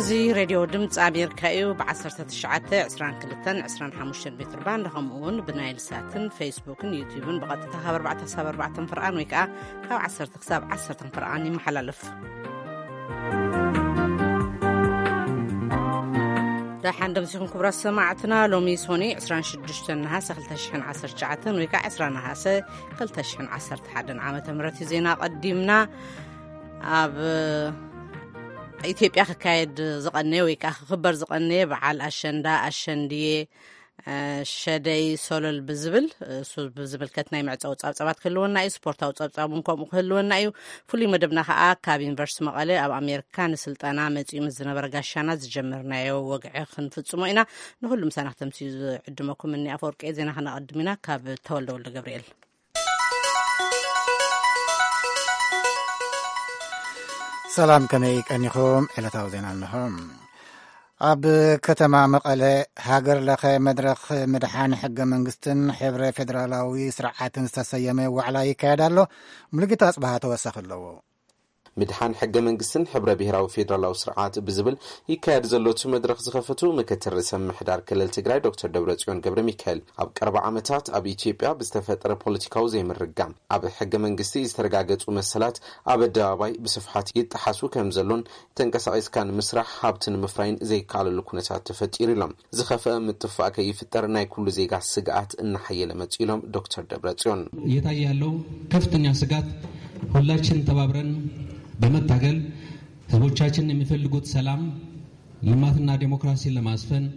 እዚ ሬድዮ ድምፂ ኣሜሪካ እዩ። ብ19፣ 22፣ 25 ሜትር ባንድ፣ ከምኡ እውን ብናይል ሳትን ፌስቡክን ዩቲዩብን ብቐጥታ ካብ ኣርባዕተ ክሳብ ኣርባዕተ ፍርቓን ወይ ከዓ ካብ ዓሰርተ ክሳብ ዓሰርተ ፍርቓን ይመሓላለፍ። ደሓን ደምሲኹም ክቡራት ሰማዕትና። ሎሚ ሶኒ 26 ነሃሰ 2019 ወይ ከዓ 20 ነሃሰ 2011 ዓመተ ምህረት እዩ። ዜና ቀዲምና። ኣብ ኢትዮጵያ ክካየድ ዝቐነየ ወይ ከዓ ክኽበር ዝቐነየ በዓል ኣሸንዳ፣ ኣሸንድየ፣ እ፣ ሸደይ ሶለል ብዝብል፣ እሱ ብዝምልከት ናይ መዕጸዊ ጸብጻባት ክህልወና እዩ። ስፖርታዊ ጸብጻብ እውን ከምኡ ክህልወና እዩ። ፍሉይ መደብና ከዓ ካብ ዩኒቨርሲቲ መቐለ ኣብ ኣሜሪካ ንስልጠና መጺኡ ምስ ዝነበረ ጋሻና ዝጀመርናዮ ወግዒ ክንፍጽሞ ኢና። ንኹሉ ምሳና ክተምስዩ ዝዕድመኩም እኒ ኣፈወርቂ። ዜና ክነቐድም ኢና ካብ ተወልደ ወልደ ገብርኤል። ሰላም፣ ከመይ ቀኒኹም? ዕለታዊ ዜና እንሆ። ኣብ ከተማ መቐለ ሃገር ለኸ መድረኽ ምድሓን ሕገ መንግስትን ሕብረ ፌደራላዊ ስርዓትን ዝተሰየመ ዋዕላ ይካየድ ኣሎ። ሙሉጌታ ኣጽብሃ ተወሳኺ ኣለዎ። ምድሓን ሕገ መንግስትን ሕብረ ብሔራዊ ፌደራላዊ ስርዓት ብዝብል ይካየድ ዘሎ እቲ መድረኽ ዝኸፈቱ ምክትል ርእሰ ምምሕዳር ክልል ትግራይ ዶክተር ደብረጽዮን ገብረ ሚካኤል፣ ኣብ ቀረባ ዓመታት ኣብ ኢትዮጵያ ብዝተፈጠረ ፖለቲካዊ ዘይምርግጋም ኣብ ሕገ መንግስቲ ዝተረጋገጹ መሰላት ኣብ ኣደባባይ ብስፍሓት ይጠሓሱ ከም ዘሎን፣ ተንቀሳቒስካ ንምስራሕ ሃብቲ ንምፍራይን ዘይከኣለሉ ኩነታት ተፈጢሩ ኢሎም። ዝኸፍአ ምጥፋእ ከይፍጠር ናይ ኩሉ ዜጋ ስግኣት እናሓየለ መጺኡ ኢሎም ዶክተር ደብረጽዮን። እየታየ ያለው ከፍተኛ ስጋት ሁላችን ተባብረን በመታገል ህዝቦቻችን የሚፈልጉት ሰላም፣ ልማትና ዴሞክራሲን ለማስፈን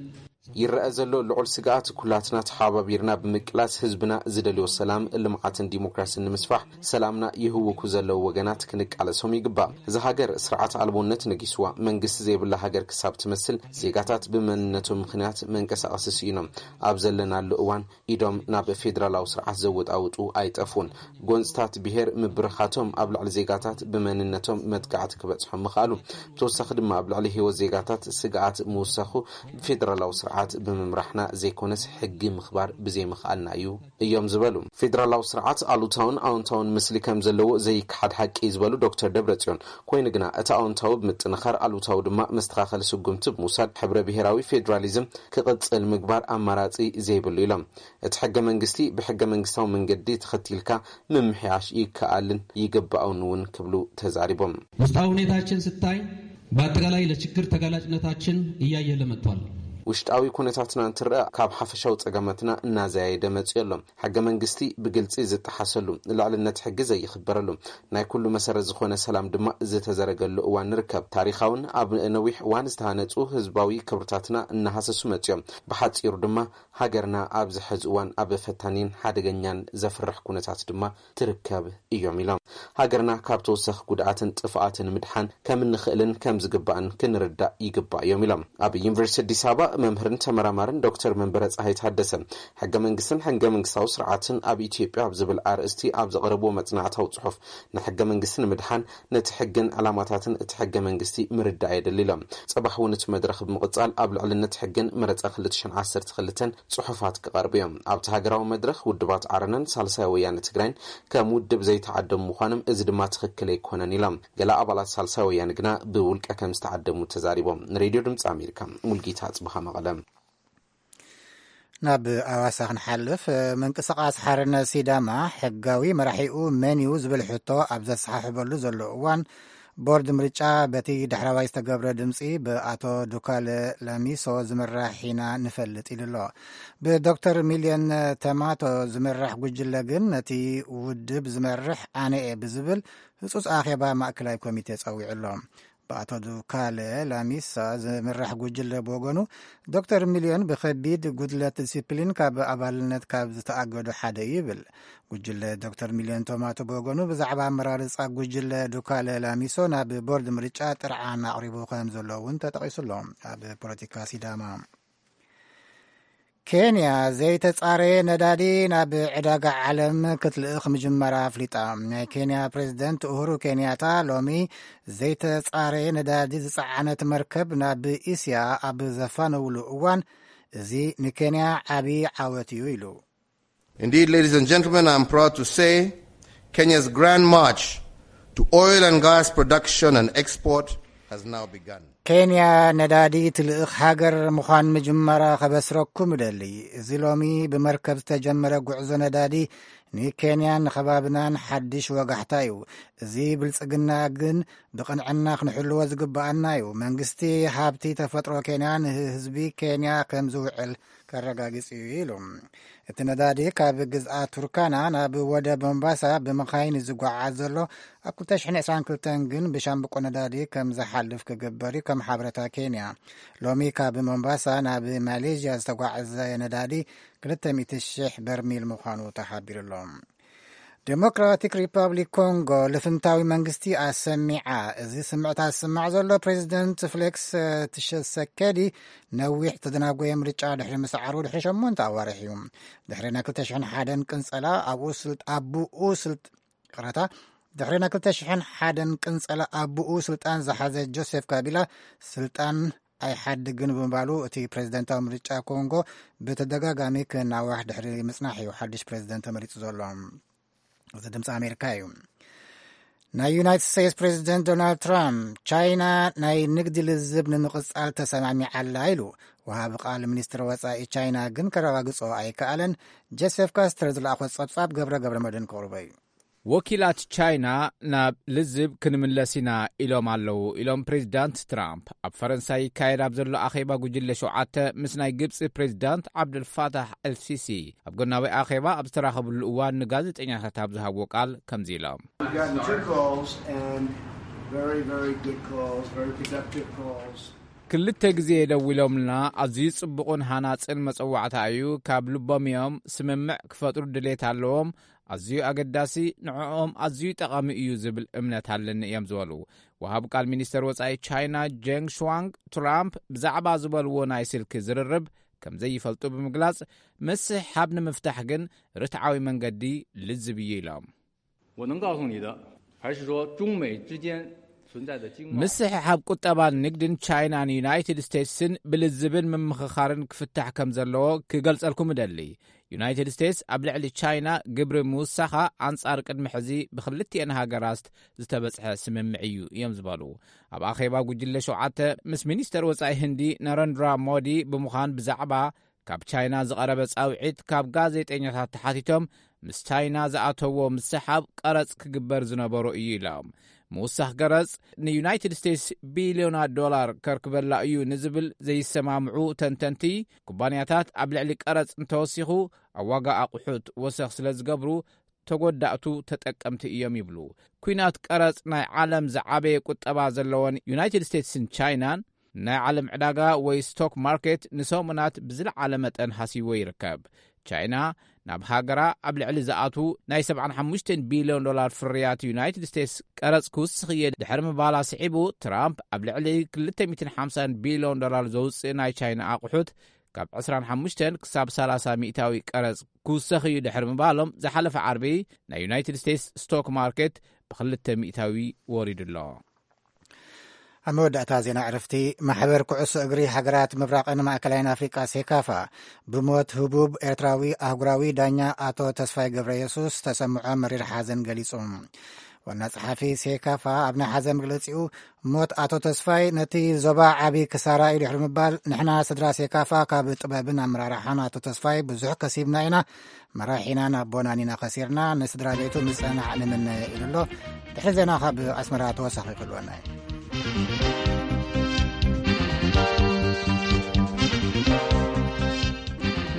ይረአ ዘሎ ልዑል ስግኣት ኩላትና ተሓባቢርና ብምቅላስ ህዝብና ዝደልዮ ሰላም፣ ልምዓትን ዲሞክራሲን ንምስፋሕ ሰላምና ይህውኩ ዘለዉ ወገናት ክንቃለሶም ይግባእ። እዛ ሃገር ስርዓት ኣልቦነት ነጊስዋ መንግስቲ ዘይብላ ሃገር ክሳብ ትመስል ዜጋታት ብመንነቶም ምኽንያት መንቀሳቐሲ ስኢኖም ኣብ ዘለናሉ እዋን ኢዶም ናብ ፌደራላዊ ስርዓት ዘወጣውጡ ኣይጠፉን። ጎንፅታት ብሄር ምብርኻቶም ኣብ ልዕሊ ዜጋታት ብመንነቶም መጥቃዕቲ ክበፅሖም ምኽኣሉ። ብተወሳኺ ድማ ኣብ ልዕሊ ህይወት ዜጋታት ስግኣት ምውሳኹ ብፌደራላዊ ስርዓት ብምምራሕና ዘይኮነስ ሕጊ ምኽባር ብዘይምኽኣልና እዩ እዮም ዝበሉ። ፌደራላዊ ስርዓት ኣሉታውን ኣዎንታውን ምስሊ ከም ዘለዎ ዘይከሓድ ሓቂ እዩ ዝበሉ ዶክተር ደብረጽዮን፣ ኮይኑ ግና እቲ ኣዎንታዊ ብምጥንኻር ኣሉታዊ ድማ መስተኻኸሊ ስጉምቲ ብምውሳድ ሕብረ ብሄራዊ ፌዴራሊዝም ክቕጽል ምግባር ኣማራጺ ዘይብሉ ኢሎም። እቲ ሕገ መንግስቲ ብሕገ መንግስታዊ መንገዲ ተኸቲልካ ምምሕያሽ ይከኣልን ይግባእን እውን ክብሉ ተዛሪቦም። ውስጣዊ ሁኔታችን ስታይ በአጠቃላይ ለችግር ተጋላጭነታችን እያየለ መጥቷል። ውሽጣዊ ኩነታትና እንትረኣ ካብ ሓፈሻዊ ጸገማትና እናዘያየደ መጺኡ ኣሎ። ሕገ መንግስቲ ብግልጺ ዝጠሓሰሉ፣ ልዕልነት ሕጊ ዘይኽበረሉ፣ ናይ ኩሉ መሰረት ዝኾነ ሰላም ድማ ዝተዘረገሉ እዋን ንርከብ። ታሪኻውን ኣብ ነዊሕ እዋን ዝተሃነጹ ህዝባዊ ክብርታትና እናሃሰሱ መጺኦም። ብሓጺሩ ድማ ሃገርና ኣብዚ ሕዚ እዋን ኣብ ፈታኒን ሓደገኛን ዘፍርሕ ኩነታት ድማ ትርከብ እዮም ኢሎም። ሃገርና ካብ ተወሳኺ ጉድኣትን ጥፍኣትን ምድሓን ከም እንኽእልን ከም ዝግባእን ክንርዳእ ይግባእ እዮም ኢሎም። ኣብ ዩኒቨርሲቲ ኣዲስ ኣበባ መምህርን ተመራማርን ዶክተር መንበረ ፀሃይ ታደሰ፣ ሕገ መንግስትን ሕገ መንግስታዊ ስርዓትን ኣብ ኢትዮጵያ ኣብ ዝብል ኣርእስቲ ኣብ ዘቕረብዎ መፅናዕታዊ ፅሑፍ፣ ንሕገ መንግስቲ ንምድሓን ነቲ ሕግን ዕላማታትን እቲ ሕገ መንግስቲ ምርዳእ የድሊ ኢሎም። ፅባሕ እውን እቲ መድረኽ ብምቕፃል ኣብ ልዕልነት ሕግን መረፃ ክልተ ሽሕን ዓሰርተ ክልተን ፅሑፋት ክቐርቡ እዮም። ኣብቲ ሃገራዊ መድረኽ ውድባት ዓረናን ሳልሳይ ወያነ ትግራይን ከም ውድብ ዘይተዓደሙ ምዃኖም፣ እዚ ድማ ትኽክል ኣይኮነን ኢሎም። ገለ ኣባላት ሳልሳይ ወያነ ግና ብውልቀ ከም ዝተዓደሙ ተዛሪቦም። ንሬድዮ ድምፂ ኣሜሪካ፣ ሙልጌታ ኣፅብሃ መቐለ። ናብ ኣዋሳ ክንሓልፍ፣ ምንቅስቓስ ሓርነት ሲዳማ ሕጋዊ መራሒኡ መን እዩ ዝብል ሕቶ ኣብ ዘሰሓሕበሉ ዘሎ እዋን፣ ቦርድ ምርጫ በቲ ዳሕረዋይ ዝተገብረ ድምፂ ብኣቶ ዱካለ ላሚሶ ዝምራሕ ኢና ንፈልጥ ኢሉ ኣሎ። ብዶክተር ሚልዮን ተማቶ ዝምራሕ ጉጅለ ግን ነቲ ውድብ ዝመርሕ ኣነ እየ ብዝብል ህጹጽ ኣኼባ ማእከላይ ኮሚቴ ጸዊዑ ኣሎ። ብኣቶ ዱካለ ላሚሳ ዝምራሕ ጉጅለ ብወገኑ፣ ዶክተር ሚልዮን ብኸቢድ ጉድለት ዲሲፕሊን ካብ ኣባልነት ካብ ዝተኣገዱ ሓደ እዩ ይብል። ጉጅለ ዶክተር ሚልዮን ቶማቶ ብወገኑ፣ ብዛዕባ ኣመራርጻ ጉጅለ ዱካለ ላሚሶ ናብ ቦርድ ምርጫ ጥርዓን ኣቕሪቡ ከም ዘሎ እውን ተጠቒሱ ኣሎ። ኣብ ፖለቲካ ሲዳማ፣ ኬንያ ዘይተጻረየ ነዳዲ ናብ ዕዳጋ ዓለም ክትልእኽ ምጅማራ ኣፍሊጣ። ናይ ኬንያ ፕሬዝደንት ኡሁሩ ኬንያታ ሎሚ ዘይተጻረየ ነዳዲ ዝጸዓነት መርከብ ናብ እስያ ኣብ ዘፋነውሉ እዋን፣ እዚ ንኬንያ ዓቢ ዓወት እዩ ኢሉ። Indeed, ladies and gentlemen, I'm proud to say Kenya's grand march to oil and gas production and export has now begun. ኬንያ ነዳዲ ትልእኽ ሃገር ምዃን ምጅማራ ከበስረኩም እደሊ። እዚ ሎሚ ብመርከብ ዝተጀመረ ጉዕዞ ነዳዲ ንኬንያን ንኸባብናን ሓድሽ ወጋሕታ እዩ። እዚ ብልጽግና ግን ብቕንዕና ክንሕልዎ ዝግብኣና እዩ። መንግስቲ ሃብቲ ተፈጥሮ ኬንያ ንህዝቢ ኬንያ ከም ዝውዕል ከረጋግጽ እዩ ኢሉ። እቲ ነዳዲ ካብ ግዝኣት ቱርካና ናብ ወደብ ሞምባሳ ብመኻይን ዝጓዓዝ ዘሎ፣ ኣብ ክልተ ሽሕን ዕስራን ክልተን ግን ብሻምብቆ ነዳዲ ከም ዝሓልፍ ክግበር እዩ፣ ከም ሓበሬታ ኬንያ። ሎሚ ካብ ሞምባሳ ናብ ማሌዥያ ዝተጓዕዘ ነዳዲ ክልተ ሚእቲ ሽሕ በርሚል ምዃኑ ተሓቢሩ ኣሎ። ዴሞክራቲክ ሪፐብሊክ ኮንጎ ልፍንታዊ መንግስቲ ኣሰሚዓ። እዚ ስምዕታ ዝስማዕ ዘሎ ፕሬዚደንት ፍሌክስ ትሸሰኬዲ ነዊሕ ዝተደናጎየ ምርጫ ድሕሪ ምስዓሩ ድሕሪ ሸሞንተ ኣዋርሕ እዩ። ድሕሪ ናይ ክልተ ሽሕን ሓደን ቅንጸላ ኣብኡ ስልጥ-፣ ኣቡኡ ስልጥ-፣ ይቕረታ፣ ድሕሪ ናይ ክልተ ሽሕን ሓደን ቅንጸላ ኣቡኡ ስልጣን ዝሓዘ ጆሴፍ ካቢላ ስልጣን ኣይሓድግን ብምባሉ እቲ ፕሬዚደንታዊ ምርጫ ኮንጎ ብተደጋጋሚ ክናዋሕ ድሕሪ ምጽናሕ እዩ ሓድሽ ፕሬዚደንት ተመሪጹ ዘሎ። እዚ ድምፂ ኣሜሪካ እዩ። ናይ ዩናይትድ ስቴትስ ፕሬዚደንት ዶናልድ ትራምፕ ቻይና ናይ ንግዲ ልዝብ ንምቕጻል ተሰማሚዓላ ኢሉ። ወሃቢ ቃል ሚኒስትር ወጻኢ ቻይና ግን ከረጋግጾ ኣይከኣለን። ጀሴፍ ካስተር ዝለኣኾ ጸብጻብ ገብረ ገብረ መድን ክቕርቦ እዩ። ወኪላት ቻይና ናብ ልዝብ ክንምለስ ኢና ኢሎም ኣለዉ ኢሎም ፕሬዚዳንት ትራምፕ። ኣብ ፈረንሳይ ይካየድ ኣብ ዘሎ ኣኼባ ጉጅለ ሸውዓተ ምስ ናይ ግብፂ ፕሬዚዳንት ዓብዱልፋታሕ ኤልሲሲ ኣብ ጎናዊ ኣኼባ ኣብ ዝተራኸብሉ እዋን ንጋዜጠኛታት ኣብ ዝሃብዎ ቃል ከምዚ ኢሎም። We got two calls and very, very good calls, very productive calls. ክልተ ግዜ ደዊሎምልና፣ ኣዝዩ ጽቡቕን ሃናጽን መጸዋዕታ እዩ። ካብ ልቦም እዮም። ስምምዕ ክፈጥሩ ድሌት ኣለዎም። ኣዝዩ ኣገዳሲ፣ ንዕኦም ኣዝዩ ጠቓሚ እዩ ዝብል እምነት ኣለኒ እዮም ዝበሉ። ወሃብ ቃል ሚኒስተር ወጻኢ ቻይና ጀንግ ሽዋንግ ትራምፕ ብዛዕባ ዝበልዎ ናይ ስልኪ ዝርርብ ከም ዘይፈልጡ ብምግላጽ፣ ምስሕሓብ ንምፍታሕ ግን ርትዓዊ መንገዲ ልዝብ እዩ ኢሎም። 我能告诉你的，还是说中美之间存在的经贸 ምስሕሓብ ቁጠባን ንግድን ቻይናን ዩናይትድ ስቴትስን ብልዝብን ምምኽኻርን ክፍታሕ ከም ዘለዎ ክገልጸልኩም እደሊ። ዩናይትድ ስቴትስ ኣብ ልዕሊ ቻይና ግብሪ ምውሳኻ ኣንጻር ቅድሚ ሕዚ ብክልቲኤን ሃገራት ዝተበጽሐ ስምምዕ እዩ እዮም ዝበሉ። ኣብ ኣኼባ ጉጅለ ሸውዓተ ምስ ሚኒስተር ወጻኢ ህንዲ ናረንድራ ሞዲ ብምዃን ብዛዕባ ካብ ቻይና ዝቐረበ ጻውዒት ካብ ጋዜጠኛታት ተሓቲቶም፣ ምስ ቻይና ዝኣተዎ ምስሓብ ቀረጽ ክግበር ዝነበሮ እዩ ኢሎም። ምውሳኽ ገረጽ ንዩናይትድ ስቴትስ ቢልዮናት ዶላር ከርክበላ እዩ ንዝብል ዘይሰማምዑ ተንተንቲ፣ ኩባንያታት ኣብ ልዕሊ ቀረጽ እንተወሲኹ ኣብ ዋጋ ኣቑሑት ወሰኽ ስለ ዝገብሩ ተጎዳእቱ ተጠቀምቲ እዮም ይብሉ። ኲናት ቀረጽ ናይ ዓለም ዝዓበየ ቁጠባ ዘለወን ዩናይትድ ስቴትስን ቻይናን ናይ ዓለም ዕዳጋ ወይ ስቶክ ማርኬት ንሰሙናት ብዝለዓለ መጠን ሃሲዎ ይርከብ። ቻይና ናብ ሃገራ ኣብ ልዕሊ ዝኣቱ ናይ ሰብዓን ሓሙሽተን ቢልዮን ዶላር ፍርያት ዩናይትድ ስቴትስ ቀረጽ ክውስኽ እየ ድሕሪ ምባላ ስዒቡ፣ ትራምፕ ኣብ ልዕሊ ክልተ ሚእትን ሓምሳን ቢልዮን ዶላር ዘውጽእ ናይ ቻይና ኣቑሑት ካብ ዕስራን ሓሙሽተን ክሳብ ሰላሳ ሚእታዊ ቀረጽ ክውሰኽ እዩ ድሕሪ ምባሎም፣ ዝሓለፈ ዓርቢ ናይ ዩናይትድ ስቴትስ ስቶክ ማርኬት ብክልተ ሚእታዊ ወሪዱ ኣሎ። ኣብ መወዳእታ ዜና ዕረፍቲ፣ ማሕበር ኩዕሶ እግሪ ሃገራት ምብራቕን ማእከላይን ኣፍሪቃ ሴካፋ ብሞት ህቡብ ኤርትራዊ ኣህጉራዊ ዳኛ ኣቶ ተስፋይ ገብረ የሱስ ተሰምዖ መሪር ሓዘን ገሊጹ። ዋና ጸሓፊ ሴካፋ ኣብ ናይ ሓዘን መግለጺኡ፣ ሞት ኣቶ ተስፋይ ነቲ ዞባ ዓቢ ክሳራ እዩ ድሕሪ ምባል፣ ንሕና ስድራ ሴካፋ ካብ ጥበብን ኣመራርሓን ኣቶ ተስፋይ ብዙሕ ከሲብና ኢና። መራሒናን ኣቦናን ኢና ከሲርና። ንስድራ ቤቱ ምጽንናዕ ንምነ ኢሉ ኣሎ። ድሕሪ ዜና ካብ ኣስመራ ተወሳኺ ክህልወና እዩ።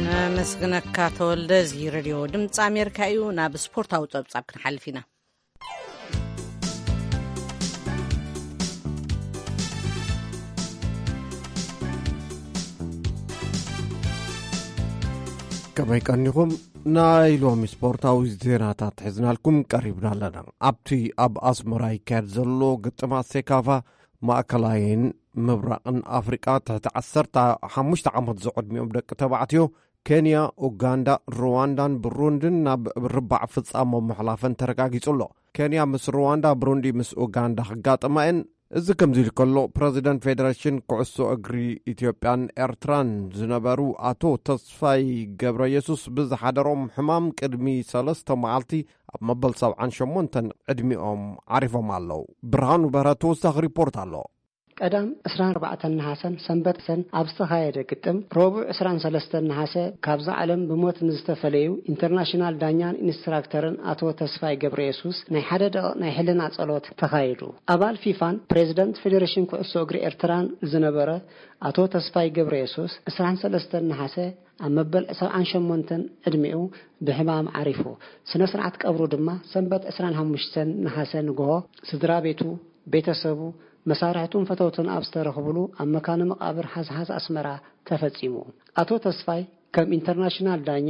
ነመስግነካ ተወልደ። እዚ ሬድዮ ድምፂ ኣሜሪካ እዩ። ናብ ስፖርታዊ ጸብጻብ ክንሓልፍ ኢና። ከመይ ቀኒኹም? ናይ ሎሚ ስፖርታዊ ዜናታት ሒዝናልኩም ቀሪብና ኣለና። ኣብቲ ኣብ ኣስመራ ይካየድ ዘሎ ግጥማት ሴካፋ፣ ማእከላይን ምብራቕን ኣፍሪቃ ትሕቲ ዓሰርተ ሓሙሽተ ዓመት ዝዕድሚኦም ደቂ ተባዕትዮ ኬንያ፣ ኡጋንዳ፣ ሩዋንዳን ብሩንድን ናብ ርባዕ ፍጻሞ ምሕላፈን ተረጋጊጹ ኣሎ። ኬንያ ምስ ሩዋንዳ፣ ብሩንዲ ምስ ኡጋንዳ ክጋጠማ እየን። እዚ ከምዚ ኢሉ ከሎ፣ ፕረዚደንት ፌደሬሽን ኩዕሶ እግሪ ኢትዮጵያን ኤርትራን ዝነበሩ ኣቶ ተስፋይ ገብረ የሱስ ብዝሓደሮም ሕማም ቅድሚ ሰለስተ መዓልቲ ኣብ መበል ሰብዓን ሸሞንተን ዕድሚኦም ዓሪፎም ኣለዉ። ብርሃኑ በርሀ ተወሳኺ ሪፖርት ኣሎ። ቀዳም ዕስራን ኣርባዕተን ነሓሰን ሰንበት ሰን ኣብ ዝተኻየደ ግጥም፣ ረቡዕ ዕስራን ሰለስተን ነሓሰ ካብዛ ዓለም ብሞት ንዝተፈለዩ ኢንተርናሽናል ዳኛን ኢንስትራክተርን ኣቶ ተስፋይ ገብረ የሱስ ናይ ሓደ ደቂቕ ናይ ሕልና ጸሎት ተኻይዱ። ኣባል ፊፋን ፕሬዝደንት ፌዴሬሽን ኩዕሶ እግሪ ኤርትራን ዝነበረ ኣቶ ተስፋይ ገብረ የሱስ ዕስራን ሰለስተን ነሓሰ ኣብ መበል ሰብዓን ሸሞንተን ዕድሚኡ ብሕማም ዓሪፉ። ስነ ስርዓት ቀብሩ ድማ ሰንበት ዕስራን ሓሙሽተን ነሓሰ ንግሆ ስድራ ቤቱ፣ ቤተሰቡ፣ መሳርሕቱን ፈተውቱን ኣብ ዝተረኽብሉ ኣብ መካነ መቓብር ሓዝሓዝ ኣስመራ ተፈጺሙ። ኣቶ ተስፋይ ከም ኢንተርናሽናል ዳኛ፣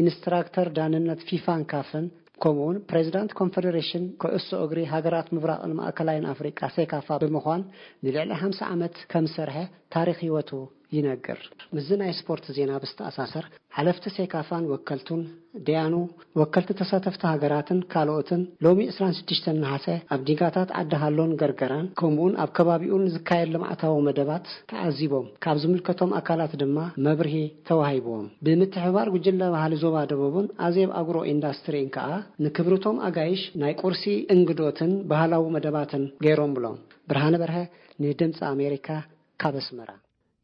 ኢንስትራክተር ዳንነት ፊፋን ካፍን፣ ከምኡውን ፕሬዚዳንት ኮንፈደሬሽን ኩዕሶ እግሪ ሃገራት ምብራቕን ማእከላይን ኣፍሪቃ ሴካፋ ብምዃን ንልዕሊ ሓምሳ ዓመት ከም ዝሰርሐ ታሪኽ ህይወቱ ይነግር። ምስዚ ናይ ስፖርት ዜና ብዝተኣሳሰር፣ ሓለፍቲ ሴካፋን ወከልቱን፣ ደያኑ፣ ወከልቲ ተሳተፍቲ ሃገራትን ካልኦትን ሎሚ ዕስራን ሽዱሽተን ነሓሰ ኣብ ዲጋታት ዓዲ ሃሎን ገርገራን ከምኡውን ኣብ ከባቢኡን ዝካየድ ልምዓታዊ መደባት ተዓዚቦም፣ ካብ ዝምልከቶም ኣካላት ድማ መብርሂ ተዋሂብዎም። ብምትሕብባር ጉጅለ ባህሊ ዞባ ደቡብን ኣዜብ ኣግሮ ኢንዳስትሪን ከኣ ንክብርቶም ኣጋይሽ ናይ ቁርሲ እንግዶትን ባህላዊ መደባትን ገይሮምሎም። ብርሃነ በርሀ ንድምፂ ኣሜሪካ ካብ ኣስመራ።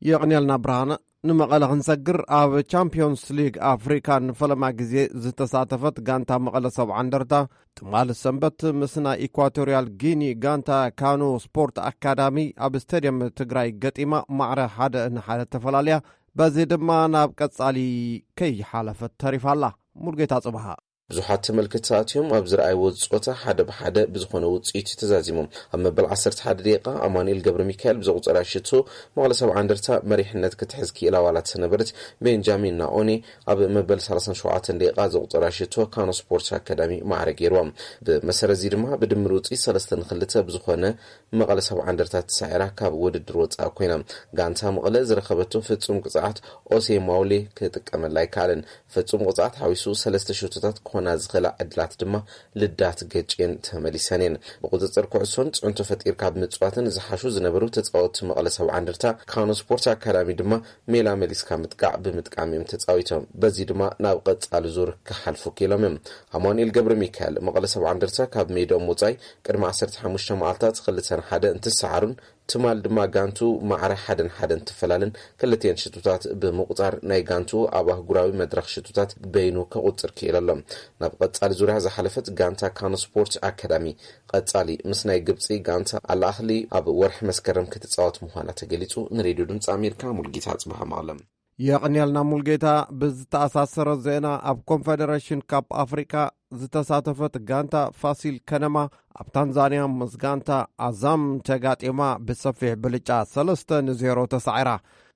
የቕንየልና ብርሃነ። ንመቐለ ክንሰግር፣ ኣብ ቻምፒዮንስ ሊግ ኣፍሪካ ንፈለማ ግዜ ዝተሳተፈት ጋንታ መቐለ ሰብዓ እንደርታ ትማሊ ሰንበት ምስ ናይ ኢኳቶርያል ጊኒ ጋንታ ካኑ ስፖርት ኣካዳሚ ኣብ ስቴድየም ትግራይ ገጢማ ማዕረ ሓደ ንሓደ ተፈላልያ፣ በዚ ድማ ናብ ቀጻሊ ከይሓለፈት ተሪፋ ኣላ። ሙልጌታ ጽብሃ። ብዙሓት ተመልከትቲ ኣትዮም ኣብ ዝረኣይዎ ጾታ ሓደ ብሓደ ብዝኾነ ውጽኢት እዩ ተዛዚሞም። ኣብ መበል ዓሰርተ ሓደ ደቂቓ ኣማኑኤል ገብረ ሚካኤል ብዘቑጸራ ሽቶ መቐለ ሰብዓ እንደርታ መሪሕነት ክትሕዝ ክኢላ ዋላ ተሰነበረት፣ ቤንጃሚን ናኦኔ ኣብ መበል ሰላሳን ሸውዓተን ደቂቓ ዘቑጸራ ሽቶ ካኖ ስፖርት ኣካዳሚ ማዕረ ገይርዋ። ብመሰረት እዚ ድማ ብድምር ውጽኢት ሰለስተ ንክልተ ብዝኾነ መቐለ ሰብዓ እንደርታ ተሳዒራ ካብ ውድድር ወጻኢ ኮይና። ጋንታ መቐለ ዝረኸበቶ ፍጹም ቅጽዓት ኦሴ ማውሌ ክጥቀመላ ኣይከኣለን። ፍጹም ቅጽዓት ሓዊሱ ሰለስተ ሸቶታት ክኾና ዝኽእላ ዕድላት ድማ ልዳት ገጭየን ተመሊሰን እየን። ብቁጽጽር ኩዕሶን ጽዕንቶ ፈጢርካ ብምጽዋትን ዝሓሹ ዝነበሩ ተጻወትቲ መቐለ ሰብዓ እንደርታ ካኖ ስፖርት ኣካዳሚ ድማ ሜላ መሊስካ ምጥቃዕ ብምጥቃም እዮም ተጻዊቶም። በዚ ድማ ናብ ቀጻሊ ዙር ክሓልፉ ክኢሎም እዮም። ኣማኑኤል ገብረ ሚካኤል መቐለ ሰብዓ እንደርታ ካብ ሜዳኦም ወጻኢ ቅድሚ ዓሰርተ ሓሙሽተ መዓልታት ክልተ ንሓደ እንትሰዓሩን ትማል ድማ ጋንቱ ማዕረ ሓደ ንሓደ እንትፈላለን ክልቲኤን ሽቶታት ብምቁጻር ናይ ጋንቱ ኣብ ኣህጉራዊ መድረኽ ሽቶታት በይኑ ከቁጽር ክኢሉ ኣሎ። ናብ ቀጻሊ ዙርያ ዝሓለፈት ጋንታ ካኖ ስፖርት ኣካዳሚ ቀጻሊ ምስ ናይ ግብጺ ጋንታ ኣልኣህሊ ኣብ ወርሒ መስከረም ክትጻወት ምዃና ተገሊጹ። ንሬድዮ ድምጺ ኣሜሪካ ሙልጌታ ጽባህ መቐለ። የቐንየልና ሙልጌታ። ብዝተኣሳሰረ ዜና፣ ኣብ ኮንፌደሬሽን ካፕ ኣፍሪቃ ዝተሳተፈት ጋንታ ፋሲል ከነማ ኣብ ታንዛንያ ምስ ጋንታ ኣዛም ተጋጢማ ብሰፊሕ ብልጫ ሰለስተ ንዜሮ ተሳዒራ።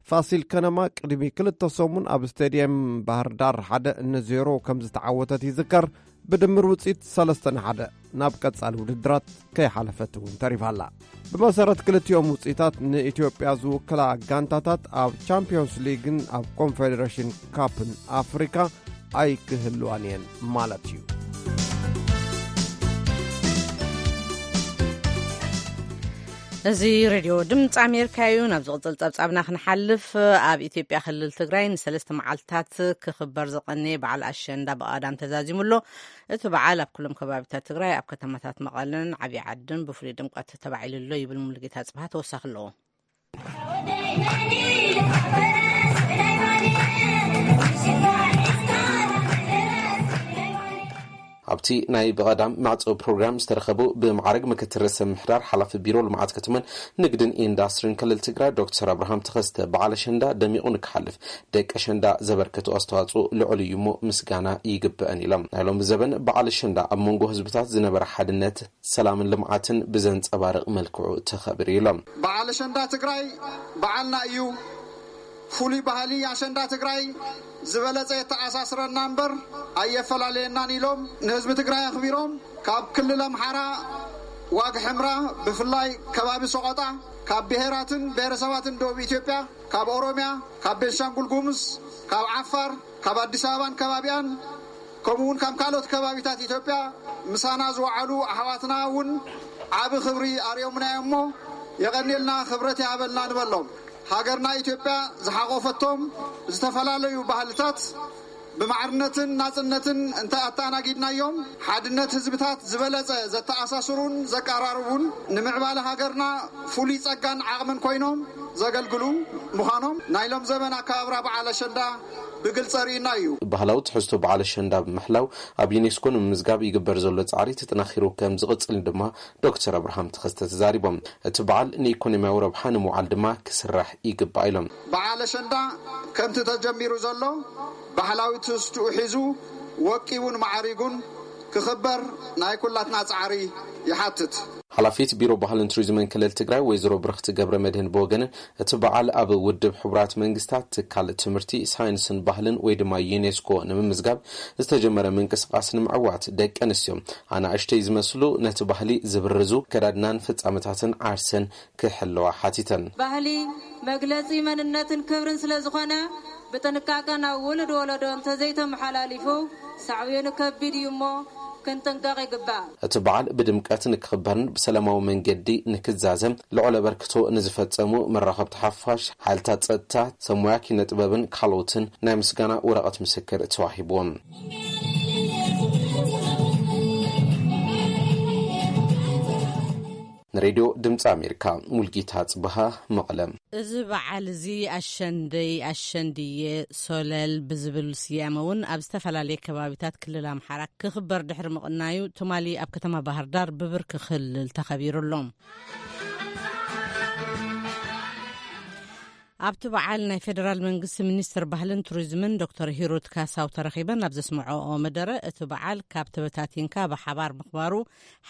ፋሲል ከነማ ቅድሚ ክልተ ሰሙን ኣብ ስቴድየም ባህር ዳር ሓደ ንዜሮ ከም ዝተዓወተት ይዝከር። ብድምር ውፅኢት ሰለስተ ንሓደ ናብ ቀጻሊ ውድድራት ከይሓለፈት እውን ተሪፋ ኣላ። ብመሰረት ክልቲኦም ውፅኢታት ንኢትዮጵያ ዝውክላ ጋንታታት ኣብ ቻምፒዮንስ ሊግን ኣብ ኮንፌዴሬሽን ካፕን ኣፍሪካ ኣይክህልዋን እየን ማለት እዩ። እዚ ሬድዮ ድምፂ ኣሜሪካ እዩ። ናብ ዝቕፅል ጸብጻብና ክንሓልፍ፣ ኣብ ኢትዮጵያ ክልል ትግራይ ንሰለስተ መዓልትታት ክኽበር ዝቐነየ በዓል ኣሸንዳ ብቐዳም ተዛዚሙ ኣሎ። እቲ በዓል ኣብ ኩሎም ከባቢታት ትግራይ፣ ኣብ ከተማታት መቐለን ዓብዪ ዓድን ብፍሉይ ድምቀት ተባዒሉ ኣሎ ይብል ሙሉጌታ ጽብሃ ተወሳኺ ኣለዎ። ኣብቲ ናይ ብቐዳም መዕጸዊ ፕሮግራም ዝተረኸቡ ብማዕረግ ምክትል ርእሰ ምምሕዳር ሓላፊ ቢሮ ልምዓት ከተማን ንግድን ኢንዳስትሪን ክልል ትግራይ ዶክተር ኣብርሃም ተኸስተ፣ በዓል ኣሸንዳ ደሚቑ ንክሓልፍ ደቂ ኣሸንዳ ዘበርከቱ ኣስተዋፅኦ ልዑል እዩ እሞ ምስጋና ይግበአን ኢሎም። ናይ ሎሚ ዘበን በዓል ኣሸንዳ ኣብ መንጎ ህዝብታት ዝነበረ ሓድነት፣ ሰላምን ልምዓትን ብዘንፀባርቕ መልክዑ ተኸቢሩ ኢሎም። በዓል ኣሸንዳ ትግራይ በዓልና እዩ። ፍሉይ ባህሊ ኣሸንዳ ትግራይ ዝበለጸ የተኣሳስረና እምበር ኣየፈላለየናን ኢሎም ንህዝቢ ትግራይ ኣኽቢሮም፣ ካብ ክልል ኣምሓራ ዋግ ሕምራ፣ ብፍላይ ከባቢ ሰቆጣ፣ ካብ ብሄራትን ብሄረሰባትን ደቡብ ኢትዮጵያ፣ ካብ ኦሮሚያ፣ ካብ ቤንሻንጉል ጉሙዝ፣ ካብ ዓፋር፣ ካብ ኣዲስ ኣበባን ከባቢኣን፣ ከምኡ እውን ካብ ካልኦት ከባቢታት ኢትዮጵያ ምሳና ዝወዓሉ ኣሕዋትና እውን ዓቢ ክብሪ ኣርእዮምና እዮም እሞ፣ የቐንየልና፣ ክብረት ይሃበልና ንበሎም። ሃገርና ኢትዮጵያ ዝሓቖፈቶም ዝተፈላለዩ ባህልታት፣ ብማዕርነትን ናጽነትን እንተ ኣተኣናጊድናዮም፣ ሓድነት ህዝብታት ዝበለጸ ዘተኣሳስሩን ዘቀራርቡን፣ ንምዕባለ ሃገርና ፍሉይ ጸጋን ዓቕምን ኮይኖም ዘገልግሉ ምዃኖም ናይ ሎም ዘመን ኣከባብራ በዓል ኣሸንዳ ብግልጺ ኣርእዩና እዩ። ባህላዊ ትሕዝቶ በዓል ኣሸንዳ ብምሕላው ኣብ ዩኔስኮ ንምምዝጋብ ይግበር ዘሎ ጻዕሪ ተጠናኺሩ ከም ዝቕጽል ድማ ዶክተር ኣብርሃም ተኸስተ ተዛሪቦም። እቲ በዓል ንኢኮኖሚያዊ ረብሓ ንምውዓል ድማ ክስራሕ ይግባእ ኢሎም። በዓል ኣሸንዳ ከምቲ ተጀሚሩ ዘሎ ባህላዊ ትሕዝትኡ ሒዙ ወቂቡን ማዕሪጉን ክኽበር ናይ ኩላትና ጻዕሪ ይሓትት። ሓላፊት ቢሮ ባህልን ቱሪዝምን ክልል ትግራይ ወይዘሮ ብርኽቲ ገብረ መድህን ብወገነን እቲ በዓል ኣብ ውድብ ሕቡራት መንግስታት ትካል ትምህርቲ፣ ሳይንስን ባህልን ወይ ድማ ዩኔስኮ ንምምዝጋብ ዝተጀመረ ምንቅስቃስ ንምዕዋት ደቂ ኣንስትዮ ኣናእሽተይ ዝመስሉ ነቲ ባህሊ ዝብርዙ ከዳድናን ፍጻመታትን ዓርሰን ክሕለዋ ሓቲተን። ባህሊ መግለጺ መንነትን ክብርን ስለ ዝኾነ ብጥንቃቀ ናብ ውሉድ ወለዶ እንተዘይተመሓላሊፉ ሳዕቤኑ ከቢድ እዩ እሞ ክንጥንቀቕ ይግባእ። እቲ በዓል ብድምቀት ንክኽበርን ብሰላማዊ መንገዲ ንክዛዘም ልዑል ኣበርክቶ ንዝፈጸሙ መራኸብቲ ሓፋሽ፣ ሓይልታት ጸጥታ፣ ሰብ ሞያ ኪነ ጥበብን ካልኦትን ናይ ምስጋና ወረቐት ምስክር ተዋሂብዎም። ንሬድዮ ድምፂ ኣሜሪካ፣ ሙልጌታ ጽበሃ፣ መቐለ። እዚ በዓል እዚ ኣሸንደይ፣ ኣሸንድየ፣ ሶለል ብዝብል ስያመ እውን ኣብ ዝተፈላለየ ከባቢታት ክልል ኣምሓራ ክኽበር ድሕሪ ምቕናዩ፣ ትማሊ ኣብ ከተማ ባህር ዳር ብብርኪ ክልል ተኸቢሩ ኣሎ። ኣብቲ በዓል ናይ ፌደራል መንግስቲ ሚኒስትር ባህልን ቱሪዝምን ዶክተር ሂሩት ካሳው ተረኺበን ኣብ ዘስምዐኦ መደረ፣ እቲ በዓል ካብ ተበታቲንካ ብሓባር ምኽባሩ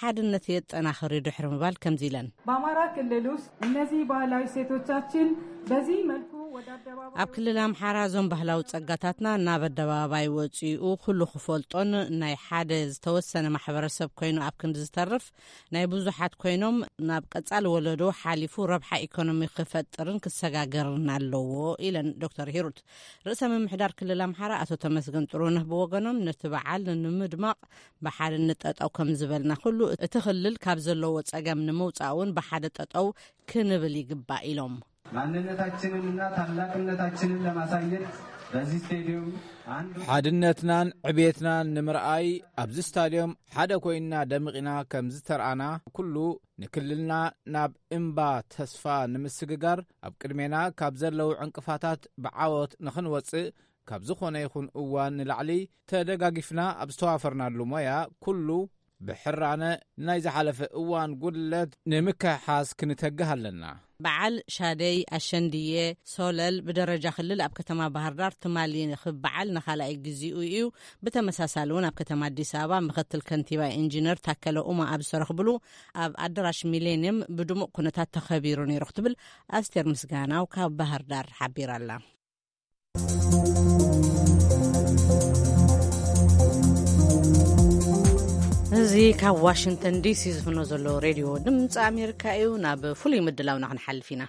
ሓድነት የጠናኽር እዩ ድሕሪ ምባል ከምዚ ኢለን። በአማራ ክልል ውስጥ እነዚህ ባህላዊ እሴቶቻችን በዚህ መልኩ ወደ አደባባይ ኣብ ክልል ኣምሓራ እዞም ባህላዊ ጸጋታትና ናብ ኣደባባይ ወጺኡ ኩሉ ክፈልጦን ናይ ሓደ ዝተወሰነ ማሕበረሰብ ኮይኑ ኣብ ክንዲ ዝተርፍ ናይ ብዙሓት ኮይኖም ናብ ቀጻሊ ወለዶ ሓሊፉ ረብሓ ኢኮኖሚ ክፈጥርን ክሰጋገርን ኣለዎ ኢለን ዶክተር ሂሩት። ርእሰ ምምሕዳር ክልል ኣምሓራ ኣቶ ተመስገን ጥሩነህ ብወገኖም ነቲ በዓል ንምድማቕ ብሓድነት ጠጠው ከም ዝበልና ኩሉ እቲ ክልል ካብ ዘለዎ ጸገም ንምውጻእ እውን ብሓደ ጠጠው ክንብል ይግባእ ኢሎም። ማንነታችንንና ታላቅነታችንን ለማሳየት በዚህ ስቴዲየም አንዱ ሓድነትናን ዕቤትናን ንምርኣይ ኣብዚ ስታድዮም ሓደ ኮይንና ደሚቕና ከም ዝተርኣና ኩሉ ንክልልና ናብ እምባ ተስፋ ንምስግጋር ኣብ ቅድሜና ካብ ዘለዉ ዕንቅፋታት ብዓወት ንኽንወጽእ ካብ ዝኾነ ይኹን እዋን ንላዕሊ ተደጋጊፍና ኣብ ዝተዋፈርናሉ ሞያ ኩሉ ብሕራነ ናይ ዝሓለፈ እዋን ጉድለት ንምክሕሓስ ክንተግህ ኣለና። በዓል ሻደይ ኣሸንድየ ሶለል ብደረጃ ክልል ኣብ ከተማ ባህር ዳር ትማሊ ክበዓል ንኻልኣይ ግዚኡ እዩ። ብተመሳሳሊ እውን ኣብ ከተማ ኣዲስ ኣበባ ምኽትል ከንቲባ ኢንጂነር ታከለ ኡማ ኣብ ዝተረኽብሉ ኣብ ኣዳራሽ ሚሌኒየም ብድሙቕ ኩነታት ተኸቢሩ ነይሩ ክትብል ኣስቴር ምስጋናው ካብ ባህር ዳር ሓቢራ ኣላ። እዚ ካብ ዋሽንግተን ዲሲ ዝፍኖ ዘሎ ሬድዮ ድምፂ ኣሜሪካ እዩ። ናብ ፍሉይ ምድላውና ክንሓልፍ ኢና።